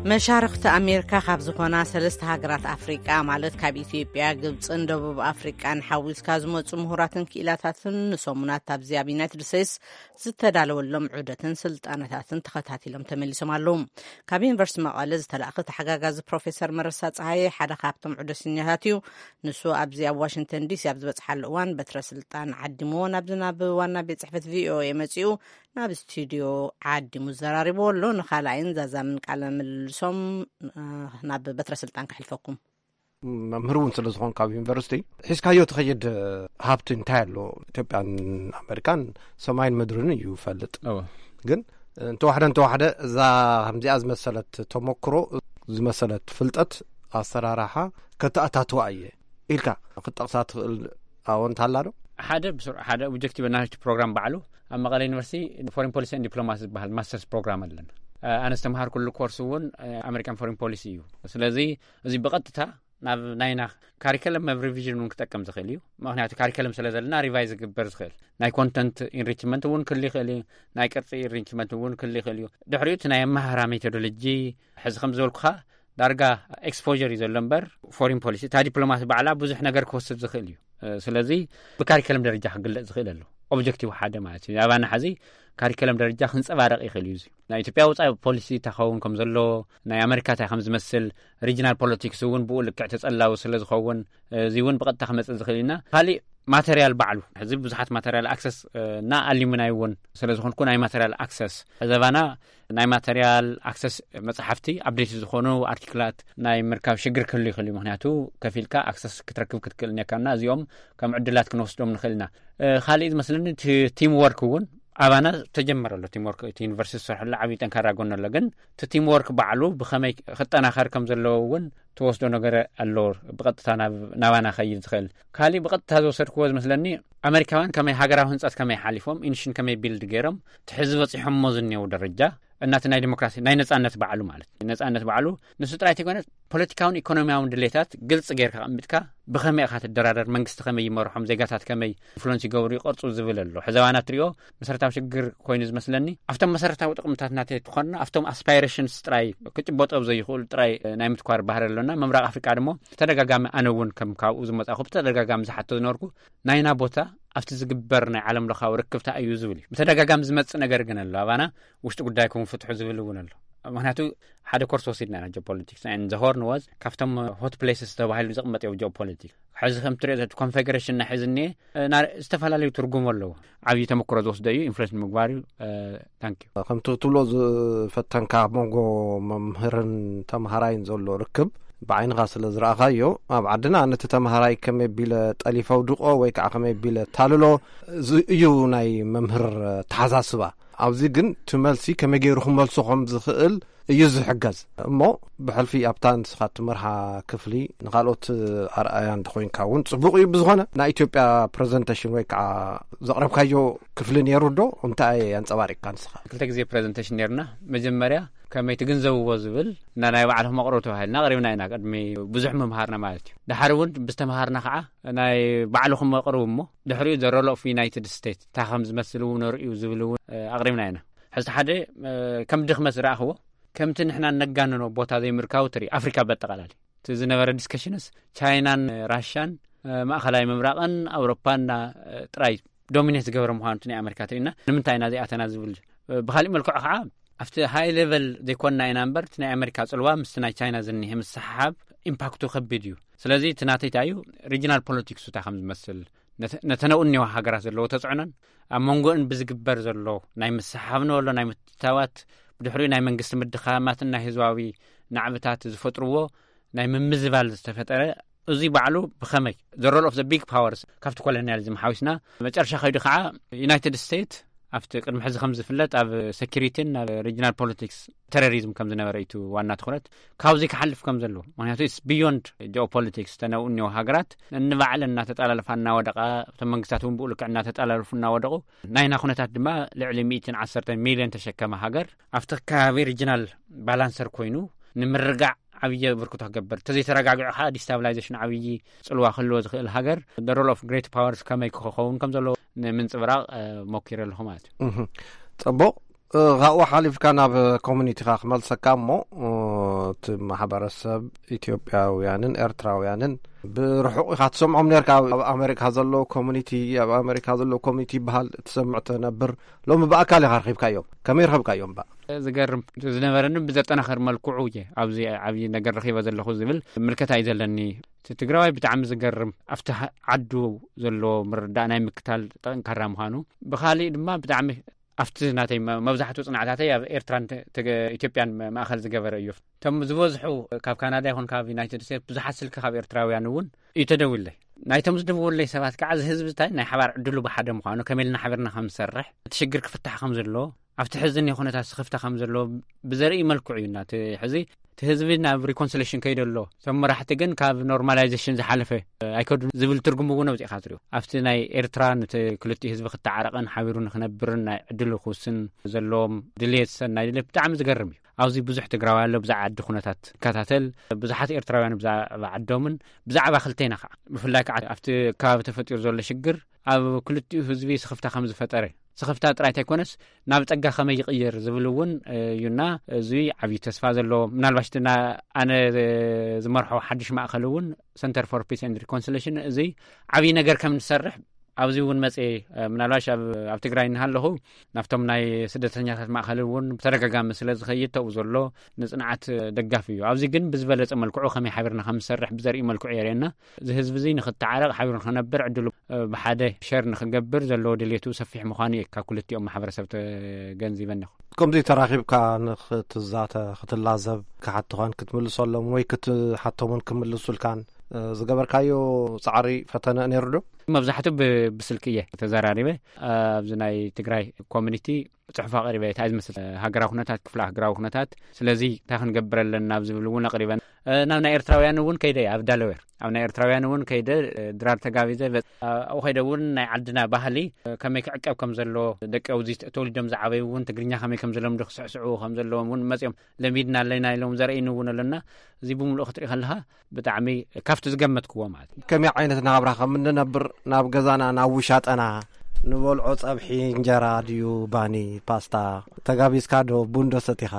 መሻርኽቲ ኣሜሪካ ካብ ዝኾና ሰለስተ ሃገራት ኣፍሪቃ፣ ማለት ካብ ኢትዮጵያ፣ ግብፅን ደቡብ ኣፍሪቃን ሓዊስካ ዝመፁ ምሁራትን ክኢላታትን ንሰሙናት ኣብዚ ኣብ ዩናይትድ ስቴትስ ዝተዳለወሎም ዑደትን ስልጠናታትን ተኸታቲሎም ተመሊሶም ኣለዉ። ካብ ዩኒቨርሲቲ መቐለ ዝተላእኸ ተሓጋጋዚ ፕሮፌሰር መረሳ ፀሃየ ሓደ ካብቶም ዑደተኛታት እዩ። ንሱ ኣብዚ ኣብ ዋሽንግተን ዲሲ ኣብ ዝበፅሓሉ እዋን በትረ ስልጣን ዓዲምዎ ናብዚ ናብ ዋና ቤት ፅሕፈት ቪኦኤ መፂኡ ናብ ስቱዲዮ ዓዲሙ ዘራሪብዎ ኣሎ። ንኻልኣይን ዛዛምን ቃለ ምልልሶም ናብ በትረ ስልጣን ከሕልፈኩም። መምህር እውን ስለ ዝኾንካ ኣብ ዩኒቨርሲቲ ሒዝካዮ ትኸይድ ሃብቲ እንታይ ኣሎ? ኢትዮጵያን ኣሜሪካን ሰማይን ምድርን እዩ ይፈልጥ። ግን እንተዋሕደ እንተዋሕደ እዛ ከምዚኣ ዝመሰለት ተመክሮ፣ ዝመሰለት ፍልጠት፣ ኣሰራርሓ ከተኣታትዋ እየ ኢልካ ክትጠቕሳ ትኽእል ኣወንታ ኣላ ዶ? ሓደ ብስሩ ሓደ ኦብጀክቲቭ ናሽቲ ፕሮግራም ባዕሉ ኣብ መቐለ ዩኒቨርሲቲ ፎሬን ፖሊሲ ን ዲፕሎማሲ ዝበሃል ማስተርስ ፕሮግራም ኣለና። ኣነ ዝተምሃርኩሉ ኮርስ እውን ኣሜሪካን ፎሬን ፖሊሲ እዩ። ስለዚ እዚ ብቐጥታ ናብ ናይና ካሪከለም ኣብ ሪቪዥን እውን ክጠቅም ዝኽእል እዩ። ምክንያቱ ካሪከለም ስለ ዘለና ሪቫይዝ ክግበር ዝኽእል ናይ ኮንተንት ኢንሪችመንት እውን ክል ይኽእል እዩ። ናይ ቅርፂ ኢንሪችመንት እውን ክል ይኽእል እዩ። ድሕሪኡ እቲ ናይ ኣመሃራ ሜቶዶሎጂ ሕዚ ከም ዝበልኩኻ ዳርጋ ኤክስፖር እዩ ዘሎ እምበር ፎሪን ፖሊሲ እታ ዲፕሎማሲ ባዕላ ብዙሕ ነገር ክወስድ ዝኽእል እዩ። ስለዚ ብካሪከለም ደረጃ ክግለፅ ዝኽእል ኣሎ። ኦብጀክቲቭ ሓደ ማለት እዩ። ኣባና ሕዚ ካሪከለም ደረጃ ክንጸባረቕ ይኽእል እዩ። እዚ ናይ ኢትዮጵያ ወጻኢ ፖሊሲ እንታይ ክኸውን ከም ዘለዎ፣ ናይ ኣመሪካ እንታይ ከም ዝመስል፣ ሪጅናል ፖለቲክስ እውን ብኡ ልክዕ ተጸላዊ ስለ ዝኸውን፣ እዚ እውን ብቐጥታ ክመጽእ ዝኽእል ኢና። ካሊእ ማተርያል ባዕሉ፣ ሕዚ ብዙሓት ማተርያል ኣክሰስ እና ኣሉሚናይ እውን ስለ ዝኾንኩ፣ ናይ ማተርያል ኣክሰስ ዘባና ናይ ማተርያል ኣክሰስ፣ መጽሓፍቲ፣ ኣፕዴት ዝኾኑ ኣርቲክላት ናይ ምርካብ ሽግር ክህሉ ይኽእል እዩ። ምክንያቱ ከፊልካ ኣክሰስ ክትረክብ ክትክእል እኒካና፣ እዚኦም ከም ዕድላት ክንወስዶም ንኽእል ኢና። ካልእ ዝመስለኒ እቲ ቲም ወርክ እውን ኣባና ተጀመረ ኣሎ። ቲም ወርክ እቲ ዩኒቨርሲቲ ዝሰርሐሉ ዓብዪ ጠንካራ ጎኒ ኣሎ። ግን እቲ ቲም ወርክ ባዕሉ ብኸመይ ክጠናኸር ከም ዘለዎ እውን ተወስዶ ነገር ኣሎ። ብቐጥታ ናባና ከይድ ዝኽእል። ካሊእ ብቐጥታ ዝወሰድክዎ ዝመስለኒ፣ ኣመሪካውያን ከመይ ሃገራዊ ህንፀት ከመይ ሓሊፎም፣ ኢንሽን ከመይ ቢልድ ገይሮም፣ ትሕዚ በፂሖሞ ዝኒው ደረጃ እናቲ ናይ ዲሞክራሲ ናይ ነጻነት ባዕሉ ማለት እዩ። ነጻነት ባዕሉ ንሱ ጥራይ ተይኮነ፣ ፖለቲካውን ኢኮኖሚያውን ድሌታት ግልጽ ጌርካ ኣቐሚጥካ፣ ብኸመይ ኢኻ ትደራደር፣ መንግስቲ ከመይ ይመርሖም፣ ዜጋታት ከመይ ኢንፍሉንስ ይገብሩ ይቐርጹ ዝብል ኣሎ። ሕዘባና ትሪኦ መሰረታዊ ሽግር ኮይኑ ዝመስለኒ፣ ኣብቶም መሰረታዊ ጥቕምታት ናተይ ትኾንና፣ ኣብቶም ኣስፓይሬሽንስ ጥራይ ክጭበጦ ዘይኽእሉ ጥራይ ናይ ምትኳር ባህሪ ኣሎና። ምብራቕ ኣፍሪቃ ድማ ብተደጋጋሚ፣ ኣነ እውን ከም ካብኡ ዝመጻኹ ብተደጋጋሚ ዝሓቶ ዝነበርኩ፣ ናይና ቦታ ኣብቲ ዝግበር ናይ ዓለም ለኻዊ ርክብታ እዩ ዝብል እዩ። ብተደጋጋሚ ዝመጽእ ነገር ግን ኣሎ። ኣባና ውሽጢ ጉዳይኩም ፍትሑ ዝብል እውን ኣሎ። ምክንያቱ ሓደ ኮርስ ወሲድና ኢና ጂኦፖለቲክስ። And the Horn was ካብቶም ሆት ፕሌስስ ተባሂሉ ዝቕመጥ እዩ ጂኦፖለቲክስ። ሕዚ ከም ትሪኦ ዘቲ ኮንፌግሬሽን ናይ ሕዚ እኒኤ፣ እ፣ ና-፣ ዝተፈላለዩ ትርጉም ኣለዎ። ዓብዪ ተመክሮ ዝወስደ እዩ፣ ኢንፍሉዌንስ ንምግባር እዩ። እ፣ ታንክ ዩ። ከምቲ ክትብሎ ዝፈተንካ ኣብ መንጎ መምህርን ተምሃራይን ዘሎ ርክብ ብዓይንኻ ስለ ዝረኣኻዮ፣ ኣብ ዓድና ነቲ ተምሃራይ ከመይ ቢለ ጠሊፈ ኣውድቆ ወይ ከዓ ከመይ ቢለ ታልሎ፣ እዚ እዩ ናይ መምህር ተሓሳስባ። ኣብዚ ግን እቲ መልሲ ከመይ ገይሩ ክመልሶ ከም ዝኽእል እዩ ዝሕገዝ። እሞ ብሕልፊ ኣብታ ንስኻ ትመርሃ ክፍሊ ንኻልኦት ኣርኣያ እንተኾይንካ እውን ጽቡቕ እዩ። ብዝኾነ ናይ ኢትዮጵያ ፕሬዘንቴሽን ወይ ከዓ ዘቕረብካዮ ክፍሊ ነይሩ ዶ? እንታይ ኣንጸባሪቕካ ንስኻ? ክልተ ግዜ ፕሬዘንቴሽን ነይርና። መጀመርያ ከመይ ትግንዘብዎ ዝብል እና ናይ ባዕልኹም ኣቕርቡ ተባሂልና ኣቕሪብና ኢና። ቅድሚ ብዙሕ ምምሃርና ማለት እዩ። ድሓር እውን ብዝተምሃርና ከዓ ናይ ባዕልኹም ኣቕርቡ እሞ ድሕሪኡ ዘ ሮል ኦፍ ዩናይትድ ስቴትስ እንታይ ከም ዝመስል እውን ነርእዩ ዝብል እውን፣ እ፣ ኣቕሪብና ኢና። ሕዚ ሓደ፣ እ፣ ከም ድኽመት ዝረኣኽዎ፣ ከምቲ ንሕና ነጋንኖ ቦታ ዘይምርካቡ ትርኢ፣ ኣፍሪካ በጠቓላሊ። እቲ ዝነበረ ዲስከሽንስ ቻይናን ራሽያን፣ እ፣ ማእኸላይ ምብራቕን ኣውሮፓን እና፣ እ፣ ጥራይ ዶሚኔት ዝገበረ ምዃኑ እቲ ናይ ኣሜሪካ ትርኢና። ንምንታይ ኢና ዘይኣተና ዝብል፣ እ፣ ብኻሊእ መልክዑ ከዓ ኣብቲ ሃይ ሌቨል ዘይኮንና ኢና እምበር፣ እቲ ናይ ኣሜሪካ ጽልዋ ምስቲ ናይ ቻይና ዝኒሄ ምስሓብ ኢምፓክቱ ከቢድ እዩ። ስለዚ እቲ ናተይ እንታይ እዩ፣ ሪጅናል ፖለቲክሱ እንታይ ከም ዝመስል፣ ነተ-፣ ነተን ኣብኡ እኒዋ ሃገራት ዘለዎ ተጽዕኖን ኣብ መንጎእን ብዝግበር ዘሎ ናይ ምስሓብ ንበሎ ናይ ምትታዋት፣ ብድሕሪኡ ናይ መንግስቲ ምድኻማትን ናይ ህዝባዊ ናዕብታት ዝፈጥርዎ ናይ ምምዝባል ዝተፈጠረ፣ እዚ ባዕሉ ብኸመይ the role of the big powers ካብቲ ኮሎኒያሊዝም ሓዊስና፣ መጨረሻ ከይዱ ከዓ ዩናይትድ ስቴትስ ኣብቲ ቅድሚ ሕዚ ከም ዝፍለጥ ኣብ ሴኪሪቲን ኣብ ሪጅናል ፖለቲክስ፣ ቴሮሪዝም ከም ዝነበረ እዩ እቲ ዋና ትኹረት። ካብዚ ክሓልፍ ከም ዘለዎ፣ ምክንያቱ it's beyond geopolitics። ተነኡ እኒኦ ሃገራት እንባዕለን እናተጠላለፋ እናወደቓ፣ እቶም መንግስታት እውን ብኡ ልክዕ እናተጠላለፉ እናወደቑ፣ ናይና ኩነታት ድማ ልዕሊ ሚእትን ዓሰርተ ሚልዮን ተሸከመ ሃገር ኣብቲ ከባቢ ሪጅናል ባላንሰር ኮይኑ ንምርጋዕ ዓብዪ ብርክቶ ክገብር፣ ተዘይተረጋጊዑ ከዓ ዲስታብላይዜሽን ዓብዪ ጽልዋ ክህልዎ ዝኽእል ሃገር፣ the role of great powers ከመይ ክኸውን ከም ዘለዎ ንምንጽብራቕ፣ እ፣ ሞኪረ ኣለኹ ማለት እዩ። እህ፣ ጽቡቕ። እ፣ ካብኡ ሓሊፍካ ናብ ኮሚኒቲኻ ክመልሰካ እሞ፣ እ፣ እቲ ማሕበረሰብ ኢትዮጵያውያንን ኤርትራውያንን ብርሑቕ ኢኻ ትሰምዖም ነርካ። ኣብ ኣሜሪካ ዘሎ ኮሚኒቲ፣ ኣብ ኣሜሪካ ዘሎ ኮሚኒቲ ይበሃል ትሰምዕ ትነብር። ሎሚ ብኣካል ኢኻ ረኺብካዮም። ከመይ ረኸብካዮም እባ? ዝገርም ዝነበረኒ ብዘጠናኸር መልክዑ እየ ኣብዚ ዓብዪ ነገር ረኺበ ዘለኹ ዝብል ምልከታ እዩ ዘለኒ። እቲ ትግራዋይ ብጣዕሚ ዝገርም፣ ኣብቲ ሃ-፣ ዓዱ ዘሎ ምርዳእ ናይ ምክታል ጠንካራ ምዃኑ፣ ብኻሊእ ድማ ብጣዕሚ ኣብቲ ናተይ መ-፣ መብዛሕትኡ ጽናዕታተይ ኣብ ኤርትራን ተ-፣ ተገ-፣ ኢትዮጵያን መ-፣ ማእኸል ዝገበረ እዩ። እቶም ዝበዝሑ ካብ ካናዳ ይኹን ካብ ዩናይትድ ስቴትስ ብዙሓት ስልኪ ካብ ኤርትራውያን እውን እዩ ተደዊለይ። ናይቶም ዝደወለይ ሰባት ከዓ እዚ ህዝቢ እንታይ ናይ ሓባር ዕድሉ ብሓደ ምዃኑ፣ ከመይ ኢልና ሓቢርና ከም ዝሰርሕ፣ እቲ ሽግር ክፍታሕ ከም ዘለዎ፣ ኣብቲ ሕዚ እኒኦ ኩነታት ስኽፍታ ከም ዘለዎ ብዘርኢ መልክዑ እዩ። እና እቲ ሕዚ እቲ ህዝቢ ናብ ሪኮንሲሌሽን ከይደ ኣሎ፣ እቶም መራሕቲ ግን ካብ ኖርማላይዜሽን ዝሓለፈ ኣይከዱን ዝብል ትርጉም እውን ኣውፂእካ ትሪኦ። ኣብቲ ናይ ኤርትራ ነቲ ክልቲኡ ህዝቢ ክተዓረቕን ሓቢሩ ንክነብርን ናይ ዕድሉ ክውስን ዘለዎም ድልየት፣ ሰናይ ድልየት ብጣዕሚ ዝገርም እዩ። ኣብዚ ብዙሕ ትግራዋይ ኣሎ፣ ብዛዕባ ዓዲ ኩነታት ይከታተል። ብዙሓት ኤርትራውያን ብዛዕባ ዓዶምን ብዛዕባ ክልቴና ከዓ፣ ብፍላይ ከዓ ኣብቲ ከባቢ ተፈጢሩ ዘሎ ሽግር ኣብ ክልቲኡ ህዝቢ ስኽፍታ ከም ዝፈጠረ፣ ስኽፍታ ጥራይ እንተይኮነስ ናብ ጸጋ ከመይ ይቕየር ዝብል እውን እዩና፣ እዚ ዓብዪ ተስፋ ዘለዎ፣ ምናልባሽ እቲ ና-፣ ኣነ ዝመርሖ ሓድሽ ማእከል እውን፣ ሰንተር ፎር ፒስ ኤንድ ሪኮንሲሌሽን፣ እዚ ዓብዪ ነገር ከም ንሰርሕ ኣብዚ እውን መጽየ፣ እ፣ ምናልባሽ ኣብ፣ ኣብ ትግራይ እናሃለኹ ናብቶም ናይ ስደተኛታት ማእኸል እውን ብተደጋጋሚ ስለ ዝኸይድ ተብኡ ዘሎ ንጽንዓት ደጋፊ እዩ። ኣብዚ ግን ብዝበለጸ መልክዑ ከመይ ሓቢርና ከም ዝሰርሕ ብዘርኢ መልክዑ የርእየና። እዚ ህዝቢ እዚ ንኽተዓረቕ ሓቢሩ ንኽነብር ዕድሉ፣ እ፣ ብሓደ ሸር ንኽገብር ዘለዎ ድሌቱ ሰፊሕ ምዃኑ እዩ ካብ ክልቲኦም ማሕበረሰብ ተገንዚበ ኣለኹ። ከምዚ ተራኺብካ ንኽትዛተ፣ ክትላዘብ፣ ክሓትኻን ክትምልሰሎም ወይ ክትሓቶምን ክምልሱልካን፣ እ፣ ዝገበርካዮ ጻዕሪ ፈተነ ነይሩ ዶ? መብዛሕትኡ ብ-፣ ብስልኪ እየ ተዘራሪበ። ኣብዚ ናይ ትግራይ ኮሚኒቲ ጽሑፍ ኣቕሪበ፣ እንታይ ዝመስል ሃገራዊ ኩነታት፣ ክፍለ ሃገራዊ ኩነታት፣ ስለዚ እንታይ ክንገብር ኣለና ኣብ ዝብል እውን ኣቕሪበን። እ፣ ናብ ናይ ኤርትራውያን እውን ከይደ እየ፣ ኣብ ዳለዌር። ኣብ ናይ ኤርትራውያን እውን ከይደ፣ እ፣ ድራር ተጋቢዘ፣ በ-፣ ኣብኡ ከይደ እውን ናይ ዓድና ባህሊ፣ እ፣ ከመይ ክዕቀብ ከም ዘለዎ፣ ደቂ ኣብዚ ተወሊዶም ዝዓበዩ እውን ትግርኛ ከመይ ከም ዝለምዱ፣ ክስዕስዑ ከም ዘለዎም እውን መጺኦም ለሚድና ኣለና ኢሎም ዘርእይኒ እውን ኣለና። እዚ ብምሉኡ ክትርኢ ከለኻ ብጣዕሚ ካብቲ ዝገመትክዎ ማለት እዩ። ከመይ ዓይነት ናብራ ከም እንነብር፣ ናብ ገዛና፣ ናብ ውሻጠና፣ ንበልዖ ጸብሒ እንጀራ ድዩ ባኒ፣ ፓስታ፣ ተጋቢዝካ ዶ፣ ቡን ዶ ሰቲኻ?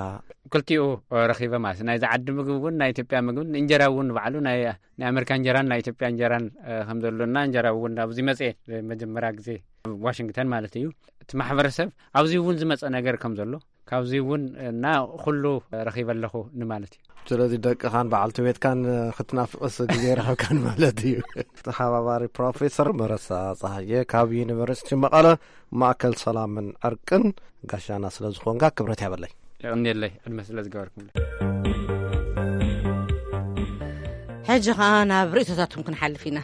ክልቲኡ ረኺበ ማለት እዩ። ናይዚ ዓዲ ምግቢ እውን ናይ ኢትዮጵያ ምግብን እንጀራ እውን ባዕሉ ናይ፣ ናይ ኣሜሪካ እንጀራን ናይ ኢትዮጵያ እንጀራን፣ እ፣ ከም ዘሎና፣ እንጀራ እውን ኣብዚ መጽኤ መጀመርያ ግዜ ኣብ ዋሽንግተን ማለት እዩ። እቲ ማሕበረሰብ ኣብዚ እውን ዝመጸ ነገር ከም ዘሎ፣ ካብዚ እውን እና ኩሉ ረኺበ ኣለኹ ንማለት እዩ። ስለዚ ደቅኻን በዓልቲ ቤትካን ክትናፍቕስ ግዜ ረኸብካን ማለት እዩ። ተሓባባሪ ፕሮፌሰር መረሳ ጸሃየ ካብ ዩኒቨርሲቲ መቐለ ማእከል ሰላምን ዕርቅን ጋሻና ስለ ዝኾንካ ክብረት ያበለይ። የቐንየለይ፣ ዕድመ ስለ ዝገበርኩም። ሕጂ ኸኣ ናብ ርእይቶታትኩም ክንሓልፍ ኢና።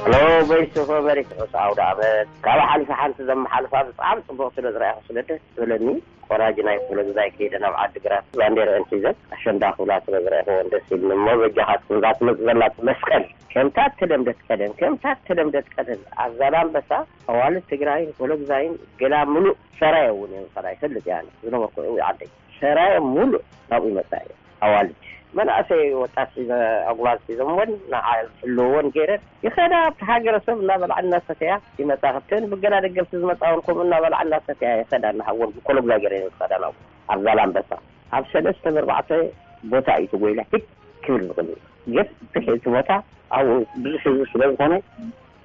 ሄሎ፣ ቮይስ ኦፍ ኣሜሪካ፣ ርሑስ ኣውደ ዓመት። ካብ ሓሊፋ ሓንቲ ዘመሓልፋ ብጣዕሚ ጽቡቕ ስለ ዝረኣኹ ስለ ደስ ዝበለኒ፣ ቆራጅ ናይ ክፍለ ግዛይ ከይደ ናብ ዓዲ ግራት ባንዴርአን ሒዘን ኣሸንዳ ክብላ ስለ ዝረኣኹወን ደስ ኢልኒ። እሞ በጃኻትኩም እዛ ትመጽእ ዘላ መስቀል ከምታ እተለምደት ቀደም፣ ከምታ እተለምደት ቀደም ኣብ ዛላምበሳ ኣዋልድ ትግራይን ክፍለ ግዛይን ገላ ምሉእ ሰራየ እውን እየን ዝኸዳ ይፈልጥ እየ ኣነ ዝነበርኩ እው ዓደይ። ሰራየ ሙሉእ ናብኡ ይመጻ እዩ። ኣዋልድ መናእሰይ ወጣት ሒዘ ኣጉባዝ ሒዘምወን ንዓ ዝሕልውወን ገይረን ይኸዳ። ኣብቲ ሃገረሰብ እናበልዓ እናሰተያ ይመጻ። ካብተን ብገና ደገፍቲ ዝመጻ እውን ከምኡ እናበልዓ እናሰተያ ይኸዳ። እናሓወን ብኮለጉዛ ገይረን ዝኸዳ ናብኡ ኣብ ዛላምበሳ ኣብ ሰለስተ ብኣርባዕተ ቦታ እዩ ተጎይላ ሂድ ክብል ዝቕኒ። ግን እቲ ቦታ ኣብኡ ብዙሕ ህዝቢ ስለ ዝኾነ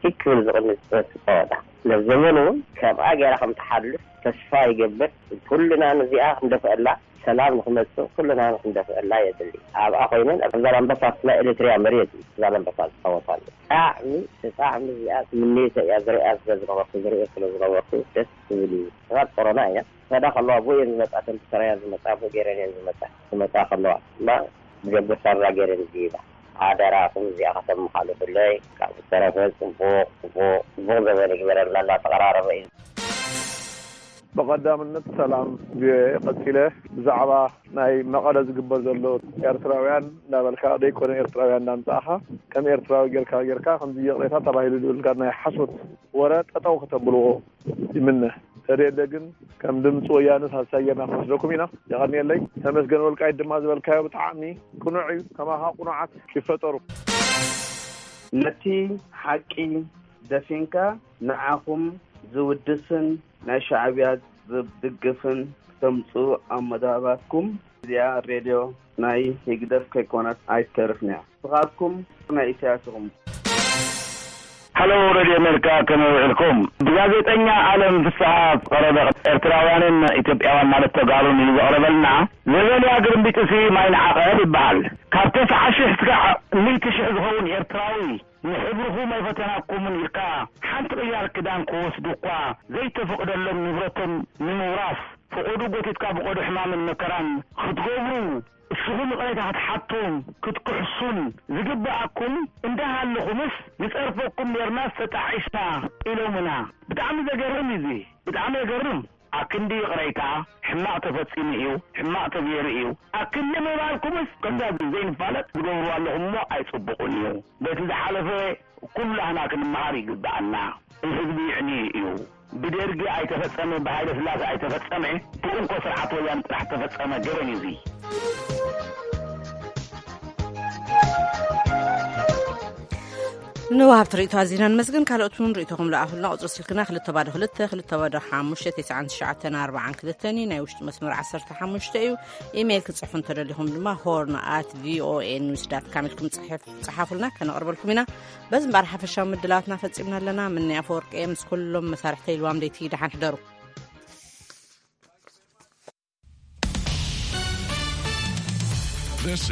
ሂድ ክብል ዝቕኒ ዝጸወታ። ነዘመን እውን ከምኣ ገይራ ከም ትሓልፍ ተስፋ ይገብር። ኩልና ነዚኣ ክንደፍአላ፣ ሰላም ንክመጽእ ኩልና ክንደፍአላ የድሊ። ኣብኣ ኮይነን ኣብ ዛላምበሳ ናይ ኤሪትሪያ መሬት እዩ ዛላምበሳ ዝጻወታሉ። ብጣዕሚ ብጣዕሚ እዚኣ ትምኒተይ እያ ዝሪኣ ስለ ዝነበርኩ ዝሪኦ ስለ ዝነበርኩ ደስ ትብል እዩ። ሰባት ቆሮና እያ። ክኸዳ ከለዋ ብኡ እየን ዝመጻ፣ እተን ብሰራያ ዝመጻ ብኡ ገይረን እየን ዝመጻ። ክመጻ ከለዋ እማ ብደገ ሳራ ገይረን ዝይዳ። ሓደራኹም እዚኣ ከተመሓልፉለይ። ካብ ዝተረፈ ጽቡቕ ጽቡቕ ጽቡቕ ዘበን ይግበረልና። እናተቐራረበ እዩ። ብቐዳምነት ሰላም ቪኦኤ። ቀጺለ ብዛዕባ ናይ መቐለ ዝግበር ዘሎ ኤርትራውያን እንዳበልካ ዘይኮነ ኤርትራውያን እንዳምጻእኻ ከም ኤርትራዊ ጌርካ ጌርካ ከምዚ ይቕሬታ ተባሂሉ ዝብል ጋር ናይ ሓሶት ወረ ጠጠው ከተብልዎ ይምነ። ተደለ ግን ከም ድምፂ ወያነ ሳልሳይ ጌርና ክንወስደኩም ኢና። የቐንየለይ። ተመስገን ወልቃይት ድማ ዝበልካዮ ብጣዕሚ ቅኑዕ እዩ። ከማኻ ቅኑዓት ይፈጠሩ። ነቲ ሓቂ ደፊንካ ንዓኹም ዝውድስን ናይ ሻዕብያ ዝድግፍን ክተምፅኡ ኣብ መደባትኩም እዚኣ ሬድዮ ናይ ህግደፍ ከይኮነት ኣይትተርፍንያ። ንስኻትኩም ናይ ኢሳያስ ኢኹም። ሃሎ ሬድዮ ኣሜሪካ ከመይ ውዒልኩም? ብጋዜጠኛ ኣለም ፍስሃ ዝቐረበ ኤርትራውያንን ኢትዮጵያውያን ማለት ተጋሩን እዩ ዘቕረበልና። ዘበንያ ግርምቢጥሲ ማይ ንዓቐብ ይበሃል። ካብ ተስዓ ሽሕ እስካዕ ሚእቲ ሽሕ ዝኸውን ኤርትራዊ ንሕብርኹም ኣይፈተናኩምን ኢልካ ሓንቲ ቅያር ክዳን ክወስዱ እኳ ዘይተፈቕደሎም ንብረቶም ንምውራስ ፍቐዱ ጎቲትካ ብቐዱ ሕማምን መከራን ክትገብሩ እስኹም ይቕሬታ ክትሓቱን ክትክሕሱን ዝግበኣኩም እንዳሃለኹምስ ንጸርፈኩም ኔርናስ ተጣዒስና ኢሎምና። ብጣዕሚ ዘገርም እዩ እዚ። ብጣዕሚ የገርም። ኣክንዲ ይቕሬታ ሕማቕ ተፈጺሙ እዩ፣ ሕማቕ ተገይሩ እዩ ኣክንዲ ምባልኩምስ ከምዛ ዘይንፋለጥ ትገብርዋ ኣለኹም እሞ ኣይጽቡቕን እዩ። በቲ ዝሓለፈ ኩላህና ክንመሃር ይግበኣና። ህዝቢ ይዕንዩ እዩ። ብደርጊ ኣይተፈጸመ፣ ብሃይለ ስላሴ ኣይተፈጸመ፣ ብእንኮ ስርዓት ወያነ ጥራሕ ተፈጸመ ገበን እዩ እዚ። ንወሃብቲ ርእይቶ ኣዚና ንመስግን። ካልኦት እውን ርእይቶኹም ለኣኹልና። ቁጽሪ ስልክና ክልተ ባዶ ክልተ፣ ክልተ ባዶ ሓሙሽተ፣ ተስዓን ትሽዓተን ኣርባዓን ክልተን እዩ። ናይ ውሽጢ መስመር ዓሰርተ ሓሙሽተ እዩ። ኢሜይል ክትጽሕፉ እንተደሊኹም ድማ ሆርን ኣት ቪኦኤ ኒውስ ዳት ካም ኢልኩም ጽሕፍ-፣ ጽሓፉልና፣ ከነቕርበልኩም ኢና። በዚ እምበኣር ሓፈሻዊ ምድላዋትና ፈጺምና ኣለና። ምንያ ኣፈወርቂ እየ ምስ ኩሎም መሳርሕተይ ልዋም ደይቲ ደሓን ሕደሩ። This is